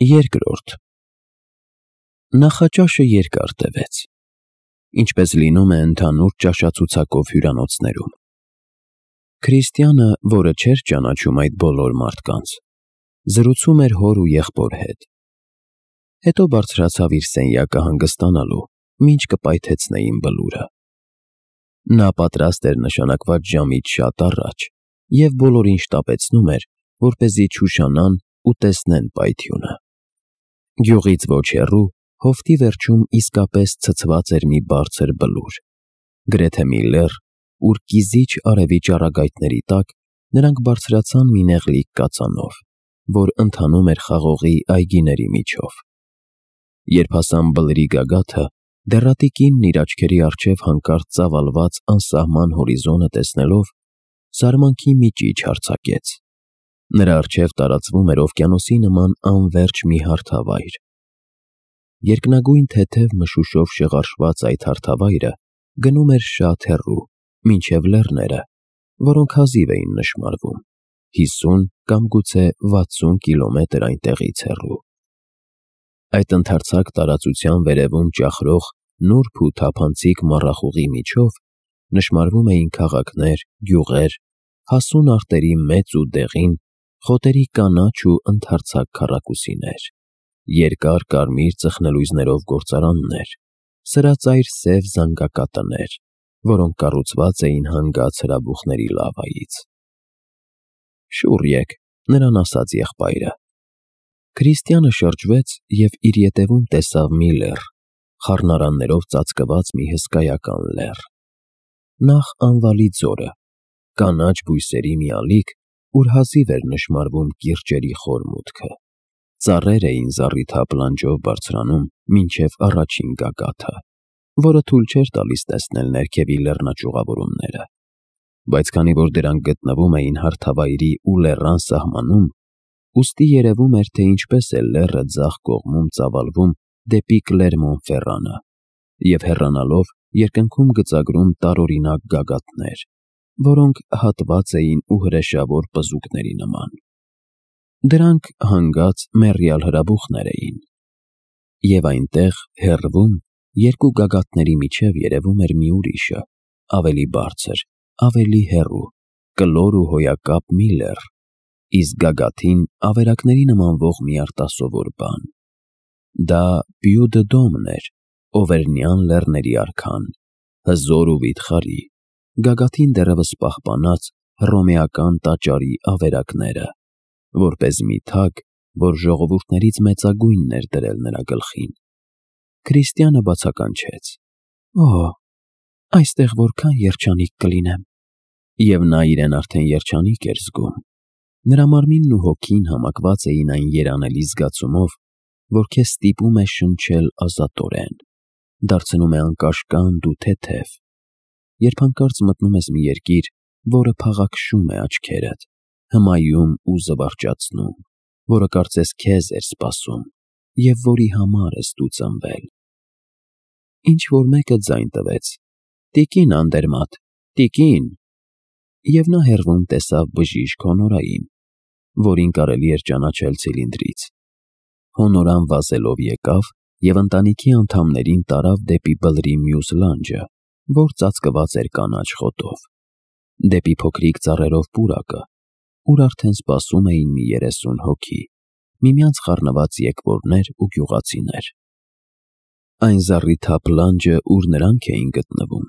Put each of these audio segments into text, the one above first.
Երկրորդ Նախաճաշը երկար տևեց, ինչպես լինում է ընդհանուր ճաշացուցակով հյուրանոցներում։ Քրիստիանը, որը չէր ճանաչում այդ բոլոր մարդկանց, զրուցում էր հոր ու եղբոր հետ։ Հետո բարձրացավ իր սենյակը հանգստանալու, մինչ կպայթեցնեին բլուրը։ Նա պատրաստ էր նշանակված ժամից շատ առաջ և բոլորին շտապեցնում էր, որպեսզի չուշանան ու տեսնեն պայթյունը։ Գյուղից ոչ հեռու, հովտի վերջում իսկապես ցցված էր մի բարձր բլուր, գրեթե մի լեռ, ուր կիզիչ արևի ճառագայթների տակ նրանք բարձրացան մի նեղլիկ կածանով, որ ընթանում էր խաղողի այգիների միջով։ Երբ հասան բլրի գագաթը, դեռատիկինն իր աչքերի առջև հանկարծ ծավալված անսահման հորիզոնը տեսնելով, զարմանքի մի ճիչ արձակեց։ Նրա առջև տարածվում էր օվկիանոսի նման անվերջ մի հարթավայր։ Երկնագույն թեթև մշուշով շղարշված այդ հարթավայրը գնում էր շատ հեռու, մինչև լեռները, որոնք հազիվ էին նշմարվում, 50 կամ գուցե 60 կիլոմետր այնտեղից հեռու։ Այդ ընդարձակ տարածության վերևում ճախրող նուրբ ու թափանցիկ մառախուղի միջով նշմարվում էին քաղաքներ, գյուղեր, հասուն արտերի մեծ ու դեղին, խոտերի կանաչ ու ընդարձակ քառակուսիներ, երկար կարմիր ծխնելույզներով գործարաններ, սրածայր սև զանգակատներ, որոնք կառուցված էին հանգած հրաբուխների լավայից։ «Շուռ եք», նրան ասաց եղբայրը։ Քրիստիանը շրջվեց և իր ետևում տեսավ մի լեռ, խառնարաններով ծածկված մի հսկայական լեռ։ Նախ անվալի ձորը, կանաչ բույսերի մի ալիք, ուր հազիվ էր նշմարվում կիրճերի խոր մուտքը։ Ծառեր էին զառիթափ լանջով բարձրանում մինչև առաջին գագաթը, որը թույլ չէր տալիս տեսնել ներքևի լեռնաճյուղավորումները։ Բայց քանի որ դրանք գտնվում էին հարթավայրի ու լեռան սահմանում, ուստի երևում էր, թե ինչպես է լեռը ձախ կողմում ծավալվում դեպի Կլերմոն-Ֆերրանը և հեռանալով երկնքում գծագրում տարօրինակ գագաթներ, որոնք հատված էին ու հրեշավոր պզուկների նման։ Դրանք հանգած մեռյալ հրաբուխներ էին։ Եվ այնտեղ, հեռվում, երկու գագաթների միջև երևում էր մի ուրիշը, ավելի բարձր, ավելի հեռու, կլոր ու հոյակապ մի լեռ, իսկ գագաթին ավերակների նմանվող մի արտասովոր բան։ Դա Պյու-դը-Դոմն էր, Օվերնյան լեռների արքան, հզոր ու վիթխարի, գագաթին դեռևս պահպանած հռոմեական տաճարի ավերակները, որպես մի թագ, որ ժողովուրդներից մեծագույնն էր դրել նրա գլխին։ Քրիստիանը բացականչեց. «Օ՜, այստեղ որքան երջանիկ կլինեմ»։ Եվ նա իրեն արդեն երջանիկ էր զգում։ Նրա մարմինն ու հոգին համակված էին այն երանելի զգացումով, որ քեզ ստիպում է շնչել ազատորեն, դարձնում է անկաշկանդ ու թեթև, երբ հանկարծ մտնում ես մի երկիր, որը փաղաքշում է աչքերդ, հմայում ու զվարճացնում, որը կարծես քեզ էր սպասում և որի համար ես դու ծնվել։ Ինչ-որ մեկը ձայն տվեց. «Տիկին Անդերմատ, տիկին»։ Եվ նա հեռվում տեսավ բժիշկ Հոնորային, որին կարելի էր ճանաչել ցիլինդրից։ Հոնորան վազելով եկավ և ընտանիքի անդամներին տարավ դեպի բլրի մյուս լանջը, որ ծածկված էր կանաչ խոտով, դեպի փոքրիկ ծառերով պուրակը, ուր արդեն սպասում էին մի 30 հոգի, միմյանց խառնված եկվորներ ու գյուղացիներ։ Այն զառիթափ լանջը, ուր նրանք էին գտնվում,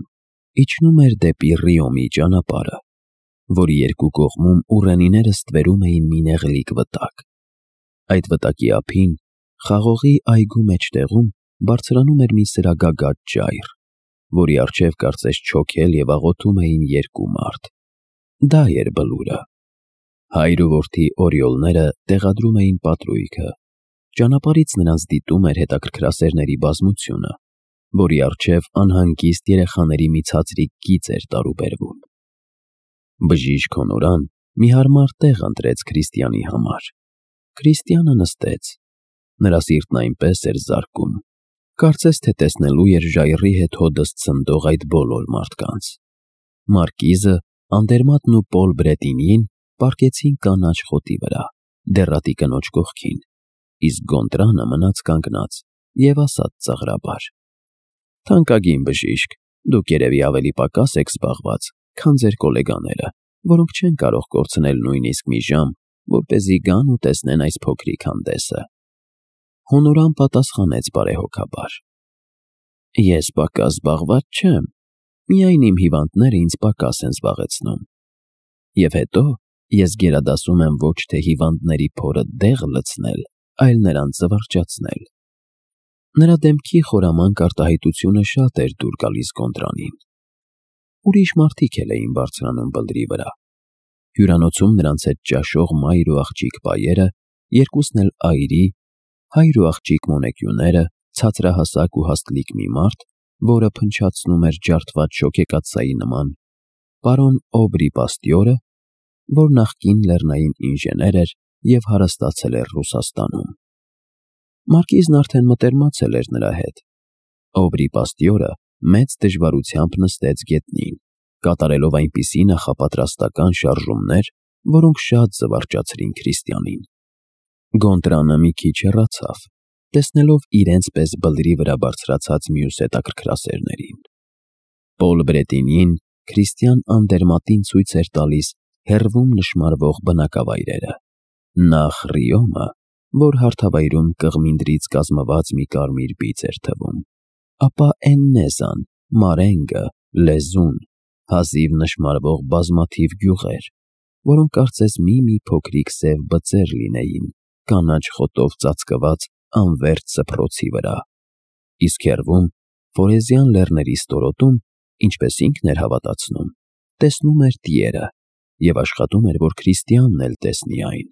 իջնում էր դեպի Ռիոմի ճանապարհը, որի երկու կողմում ուռենիները ստվերում էին մի նեղլիկ վտակ։ Այդ վտակի ափին, խաղողի այգու մեջտեղում, բարձրանում էր մի սրագագաթ ժայռ, որի առջև կարծես չոքել և աղոթում էին երկու մարդ։ Դա էր բլուրը։ Հայր ու որդի օրիոլները տեղադրում էին պատրույգը։ Ճանապարհից նրանց դիտում էր հետաքրքրասերների բազմությունը, որի առջև անհանգիստ երեխաների մի ցածրիկ գիծ էր տարուբերվում։ Բժիշկ Հոնորան մի հարմար տեղ ընտրեց Քրիստիանի համար։ Քրիստիանը նստեց։ Նրա սիրտն այնպես էր զարկում, կարծես թե տեսնելու էր ժայռի հետ հոդս ցնդող այդ բոլոր մարդկանց։ Մարկիզը, Անդերմատն ու Պոլ Բրետինին պառկեցին կանաչ խոտի վրա, դեռատի կնոջ կողքին, իսկ Գոնտրանը մնաց կանգնած և ասաց ծաղրաբար. «Թանկագին բժիշկ, դուք երևի ավելի պակաս եք զբաղված, քան ձեր գոլեգաները, որոնք չեն կարող կորցնել նույնիսկ մի ժամ, որպեսզի գան ու տեսնեն այս փոքրիկ հանդեսը»։ Հոնորան պատասխանեց բարեհոգաբար. «Ես պակաս զբաղված չեմ, միայն իմ հիվանդները ինձ պակաս են զբաղեցնում։ Եվ հետո ես գերադասում եմ ոչ թե հիվանդների փորը դեղ լցնել, այլ նրանց զվարճացնել»։ Նրա դեմքի խորամանկ արտահայտությունը շատ էր դուր գալիս Գոնտրանին։ Ուրիշ մարդիկ էլ էին բարձրանում բլրի վրա։ Հյուրանոցում նրանց հետ ճաշող մայր ու աղջիկ պայերը, երկուսն էլ այրի, հայր ու աղջիկ մոնեկյուները, ցածրահասակ ու հաստլիկ մի մարդ, որը փնչացնում էր ջարդված շոգեկաթսայի նման, պարոն Օբրի Պաստյորը, որ նախկին լեռնային ինժեներ էր և հարստացել էր Ռուսաստանում։ Մարկիզն արդեն մտերմացել էր նրա հետ։ Օբրի Պաստյորը մեծ դժվարությամբ նստեց գետնին, կատարելով այնպիսի նախապատրաստական շարժումներ, որոնք շատ զվարճացրին Քրիստիանին։ Գոնտրանը մի քիչ հեռացավ, տեսնելով իրենց պես բլրի վրա բարձրացած մյուս հետաքրքրասերներին։ Պոլ Բրետինին Քրիստիան անդերմատին ցույց էր տալիս հեռվում նշմարվող բնակավայրերը։ Նախ Ռիոմը, որ հարթավայրում կղմինդրից կազմված մի կարմիր բիծ էր թվում, ապա Էննեզան, Մարենգը, Լեզուն, հազիվ նշմարվող բազմաթիվ գյուղեր, որոնք կարծես մի փոքրիկ սև բծեր լինեին կանաչ խոտով ծածկված անվերջ սփռոցի վրա։ Իսկ հեռվում Ֆորեզյան լեռների ստորոտում, ինչպես ինքն էր հավատացնում, տեսնում էր տիերը և աշխատում էր, որ Քրիստիանն էլ տեսնի այն։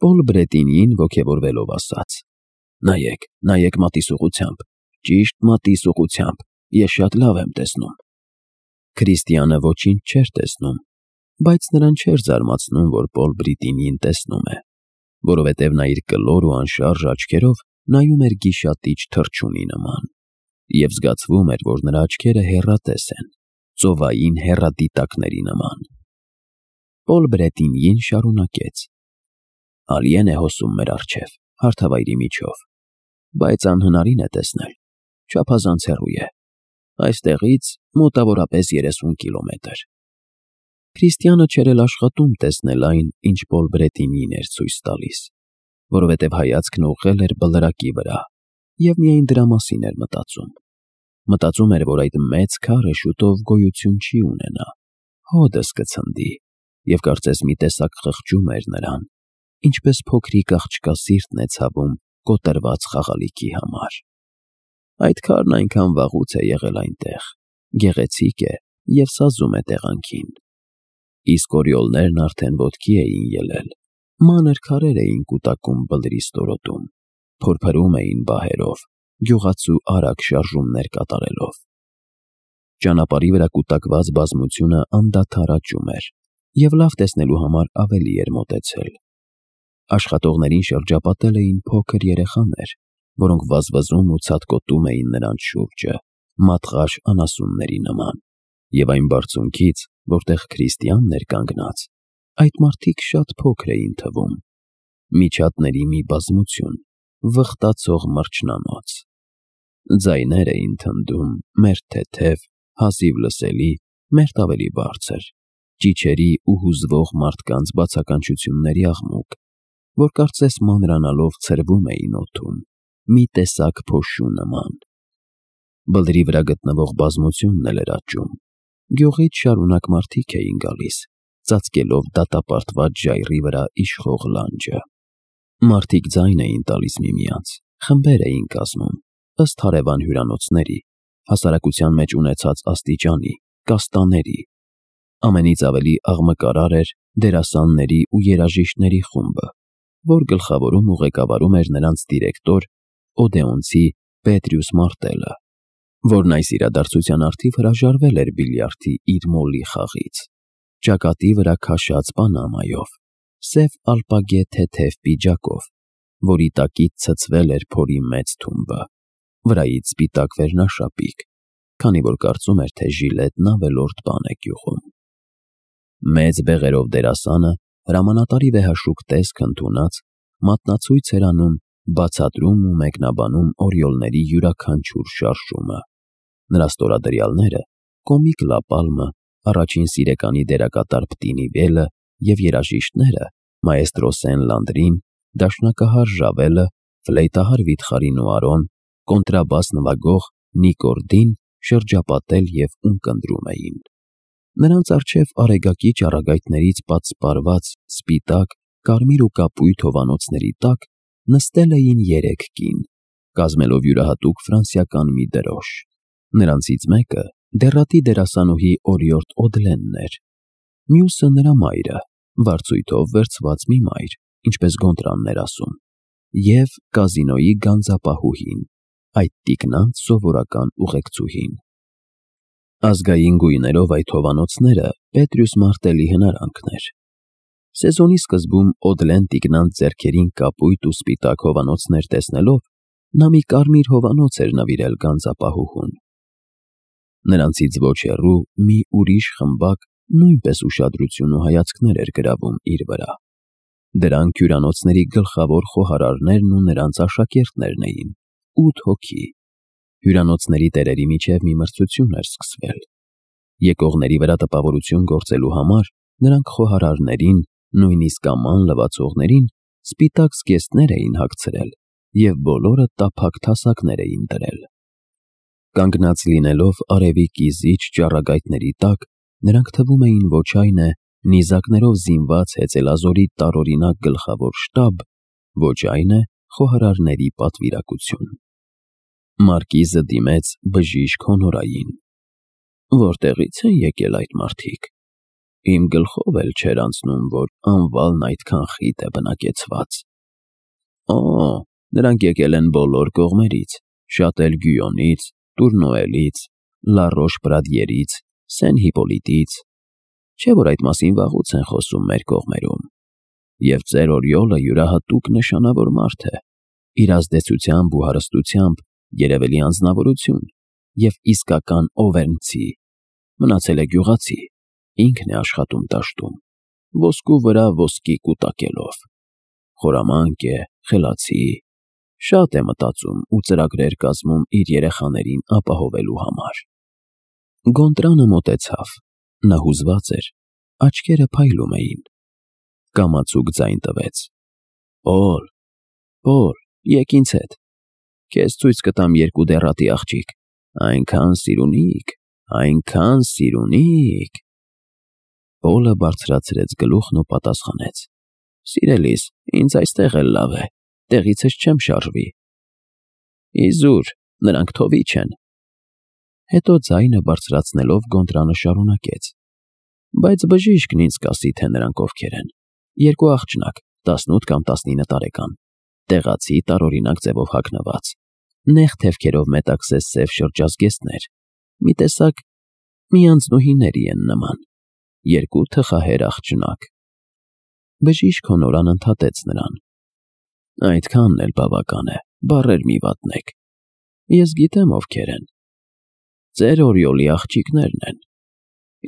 Պոլ Բրետինին ոգևորվելով ասաց. «Նայեք մատիսուղությամբ, ճիշտ մատիսուղությամբ, ես շատ լավ եմ տեսնում»։ Քրիստիանը ոչինչ չէր տեսնում, բայց նրան չէր զարմացնում, որ Պոլ Բրետինին տեսնում է, որովհետև նա իր կլոր ու անշարժ աչքերով նայում էր գիշատիչ թռչունի նման, և զգացվում էր, որ նրա աչքերը հեռատես են, ծովային հեռադիտակների նման։ Պոլ Բրետինին շարունակեց. «Ալիեն է հոսում մեր առջև, հարթավայրի միջով, բայց անհնարին է տեսնել, չափազանց հեռու է, այստեղից մոտավորապես 30 կիլոմետր»։ Քրիստիանը չէր էլ աշխատում տեսնել այն, ինչ Պոլ Բրետինին էր ցույց տալիս, որովհետև հայացքն ուղղել էր բլրակի վրա և միայն դրա մասին էր մտածում։ Մտածում էր, որ այդ մեծ քարը շուտով գոյություն չի ունենա, հօդս կցնդի, և կարծես մի տեսակ խղճում էր նրան, ինչպես փոքրիկ աղջկա սիրտն է ցավում կոտրված խաղալիքի համար։ Այդ քարն այնքան վաղուց է եղել այնտեղ, գեղեցիկ է և սազում է տեղանքին։ Իսկ օրիոլներն արդեն ոտքի էին ելել, մանր քարեր էին կուտակում բլրի ստորոտում, փորփրում էին բահերով, գյուղացու արագ շարժումներ կատարելով։ Ճանապարհի վրա կուտակված բազմությունը անդադար աճում էր և լավ տեսնելու համար ավելի էր մոտեցել։ Աշխատողներին շրջապատել էին փոքր երեխաներ, որոնք վազվզում ու ցատկոտում էին նրանց շուրջը, մատղաշ անասունների նման, և այն բարձունքից, որտեղ Քրիստիանն էր կանգնած, այդ մարդիկ շատ փոքր էին թվում, միջատների մի բազմություն, վխտացող մրջնանոց։ Ձայներ էին թնդում, մերթ թեթև, հազիվ լսելի, մերթ ավելի բարձր, ճիչերի ու հուզվող մարդկանց բացականչությունների աղմուկ, որ կարծես մանրանալով ցրվում էին օդում, մի տեսակ փոշու նման։ Բլրի վրա գտնվող բազմությունն էլ էր աճում, գյուղից շարունակ մարդիկ էին գալիս, ծածկելով դատապարտված ժայռի վրա իշխող լանջը։ Մարդիկ ձայն էին տալիս միմյանց, խմբեր էին կազմում, ըստ հարևան հյուրանոցների, հասարակության մեջ ունեցած աստիճանի, կաստաների։ Ամենից ավելի աղմկարար էր դերասանների ու երաժիշտների խումբը, որ գլխավորում ու ղեկավարում էր նրանց դիրեկտոր, օդեոնցի Պետրյուս Մարտելը, որն այս իրադարձության առթիվ հրաժարվել էր բիլիարդի իր մոլի խաղից, ճակատի վրա քաշած պանամայով, սև ալպագե թեթև պիջակով, որի տակից ցցվել էր փորի մեծ թումբը, վրայից սպիտակ վերնաշապիկ, քանի որ կարծում էր, թե ժիլետն ավելորդ բան է գյուղում։ Մեծ բեղերով դերասանը հրամանատարի վեհաշուկ տեսք ընդունած, մատնացույց էր անում, բացատրում ու մեկնաբանում օրիոլների յուրաքանչյուր շարժումը։ Նրա ստորադրյալները՝ կոմիկ Լապալմը, առաջին սիրեկանի դերակատար Պտինի Վելը և երաժիշտները՝ մաեստրո Սեն-Լանդրին, դաշնակահար Ժավելը, ֆլեյտահար Վիթխարին ու Արոն, կոնտրաբաս նվագող Նիկորդին շրջապատել և ունկնդրում էին։ Նրանց առջև արեգակի ճառագայթներից պատսպարված սպիտակ, կարմիր ու կապույտ հովանոցների տակ նստել էին 3 կին, կազմելով յուրահատուկ ֆրանսիական մի դրոշ։ Նրանցից մեկը դեռատի դերասանուհի Օրիորդ Օդլենն էր, մյուսը նրա մայրը, վարձույթով վերցված մի մայր, ինչպես Գոնտրանն էր ասում, և կազինոյի գանձապահուհին, այդ տիկնանց սովորական ուղեկցուհին։ Ազգային գույներով այդ հովանոցները Պետրյուս Մարտելի հնարանքն էր։ Սեզոնի սկզբում Օդլեն տիկնանց ձեռքերին կապույտ ու սպիտակ հովանոցներ տեսնելով նա մի կարմիր հովանոց էր նվիրել գանձապահուհուն։ Նրանցից ոչ հեռու մի ուրիշ խմբակ նույնպես ուշադրություն ու հայացքներ էր գրավում իր վրա։ Դրանք հյուրանոցների գլխավոր խոհարարներն ու նրանց աշակերտներն էին, 8 հոգի։ Հյուրանոցների տերերի միջև մի մրցություն էր սկսվել։ Եկողների վրա տպավորություն գործելու համար նրանք խոհարարներին, նույնիսկ աման լվացողներին, սպիտակ զգեստներ էին հագցրել և բոլորը տափակ թասակներ էին դրել։ Կանգնած լինելով արևի կիզիչ ճառագայթների տակ, նրանք թվում էին ոչ այն է նիզակներով զինված հեծելազորի տարօրինակ գլխավոր շտաբ, ոչ այն է խոհարարների պատվիրակություն։ Մարկիզը դիմեց բժիշկ Հոնորային։ Որտեղի՞ց են եկել այդ մարդիկ։ Իմ գլխով էլ չէր անցնում, որ անվալն այդքան խիտ է բնակեցված։ Նրանք եկել են բոլոր կողմերից, շատ էլ Գյույոնից, Տուրնուելից, Լարոշ-Պրադիերից, Սեն-Հիպոլիտից, չէ՞ որ այդ մասին վաղուց են խոսում մեր կողմերում։ Եվ ծեր Օրիոլը յուրահատուկ նշանավոր մարդ է, իր ազդեցությամբ ու հարստությամբ երևելի անձնավորություն և իսկական օվերնցի, մնացել է գյուղացի, ինքն է աշխատում դաշտում, ոսկու վրա ոսկի կուտակելով, խորամանկ է, խելացի, շատ է մտածում ու ծրագրեր կազմում իր երեխաներին ապահովելու համար։ Գոնտրանը մոտեցավ, նա հուզված էր, աչքերը փայլում էին, կամացուկ ձայն տվեց. Պոլ, եկ ինձ հետ, քեզ ցույց կտամ 2 դեռատի աղջիկ, այնքան սիրունիկ։ Պոլը բարձրացրեց գլուխն ու պատասխանեց. Սիրելիս, ինձ այստեղ էլ լավ է, տեղիցս չեմ շարժվի։ Իզուր, նրանք թովիչ են։ Հետո ձայնը բարձրացնելով Գոնտրանը շարունակեց. Բայց բժիշկն ինձ կասի, թե նրանք ովքեր են։ 2 աղջնակ, 18 կամ 19 տարեկան, տեղացի տարօրինակ ձևով հագնված, նեղ թևքերով մետաքսես սև շրջազգեստներ, մի տեսակ մի անձնուհիների են նման, 2 թխահեր աղջնակ։ Բժիշկ Հոնորան ընդհատեց նրան. Այդքանն էլ բավական է, բառեր մի վատնեք։ Ես գիտեմ ովքեր են։ Ծեր Օրիոլի աղջիկներն են։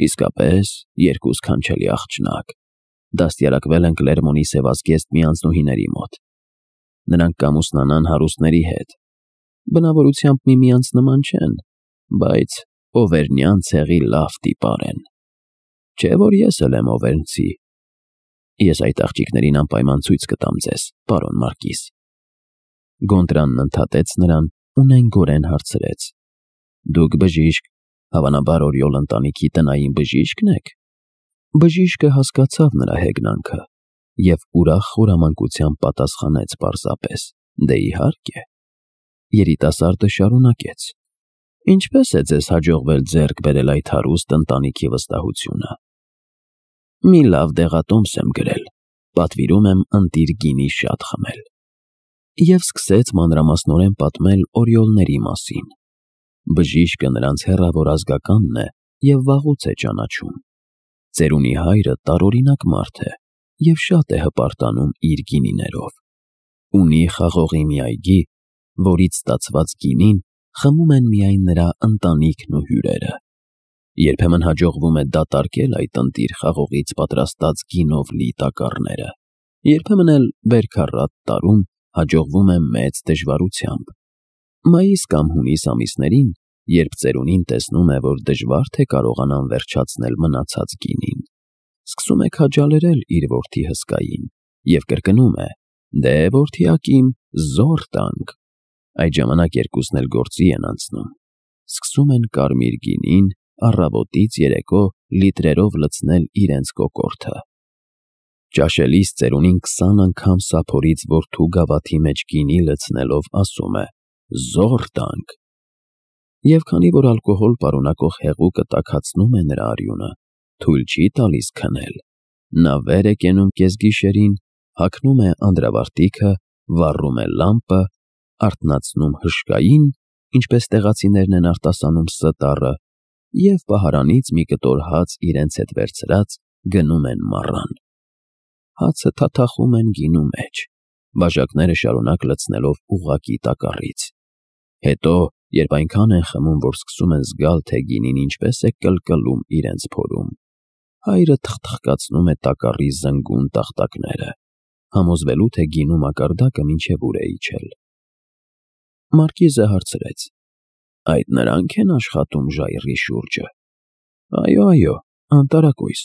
Իսկապես 2 սքանչելի աղջնակ, դաստիարակվել են Կլերմոնի սևազգեստ մի անձնուհիների մոտ։ Նրանք կամուսնանան հարուստների հետ։ Բնավորությամբ միմյանց նման չեն, բայց օվերնյան ցեղի լավ տիպար են։ Չէ՞ որ ես էլ եմ օվերնցի։ Ես այդ աղջիկներին անպայման ցույց կտամ ձեզ, պարոն Մարկիս։ Գոնտրանն ընդհատեց նրան ու նենգորեն հարցրեց. Դուք բժիշկ, հավանաբար Օրիոլ ընտանիքի տնային բժիշկն եք։ Բժիշկը հասկացավ նրա հեգնանքը և ուրախ խորամանկությամբ պատասխանեց պարզապես. Դե իհարկե։ Երիտասարդը շարունակեց. Ինչպես է ձեզ հաջողվել ձեռք բերել այդ հարուստ ընտանիքի վստահությունը։ Մի լավ դեղատոմս եմ գրել, պատվիրում եմ ընտիր գինի շատ խմել։ Եվ սկսեց մանրամասնորեն պատմել օրիոլների մասին։ Բժիշկը նրանց հեռավոր ազգականն է և վաղուց է ճանաչում։ Ծերունի հայրը տարօրինակ մարդ է և շատ է հպարտանում իր գինիներով։ Ունի խաղողի մի այգի, որից ստացված գինին խմում են միայն նրա ընտանիքն ու հյուրերը։ Երբեմն հաջողվում է դատարկել այդ ընտիր խաղողից պատրաստած գինով լի տակառները։ Երբեմն էլ բերքառատ տարում հաջողվում է մեծ դժվարությամբ։ Մայիս կամ հունիս ամիսներին, երբ ծերունին տեսնում է, որ դժվար թե կարողանան վերջացնել մնացած գինին, սկսում է քաջալերել իր որդի հսկային և կրկնում է. «Դե որդիակիմ, զոռ տանք»։ Այդ ժամանակ երկուսն էլ գործի են անցնում։ Սկսում են կարմիր գինին առավոտից երեկո լիտրերով լցնել իրենց կոկորդը։ Ճաշելիս ծերունին 20 անգամ սափորից որդու գավաթի մեջ գինի լցնելով ասում է. «Զոռ տանք»։ Եվ քանի որ ալկոհոլ պարունակող հեղուկը տաքացնում է նրա արյունը, թույլ չի տալիս քնել, նա վեր է կենում կեսգիշերին, հագնում է անդրավարտիքը, վառում է լամպը, արթնացնում հышկային, ինչպես տեղացիներն են արտասանում Ս և պահարանից մի կտոր հաց իրենց հետ վերցրած գնում են մառան։ Հացը թաթախում են գինու մեջ, բաժակները շարունակ լցնելով ուղղակի տակառից։ Հետո, երբ այնքան են խմում, որ սկսում են զգալ, թե գինին ինչպես է կլկլում իրենց փորում, հայրը թխթխկացնում է տակառի զնգուն տախտակները, համոզվելու, թե գինու մակարդակը մինչև ուր է իջել։ Մարկիզը հարցրեց. «Այդ նրանք են աշխատում ժայռի շուրջը»։ «Այո, անտարակույս»։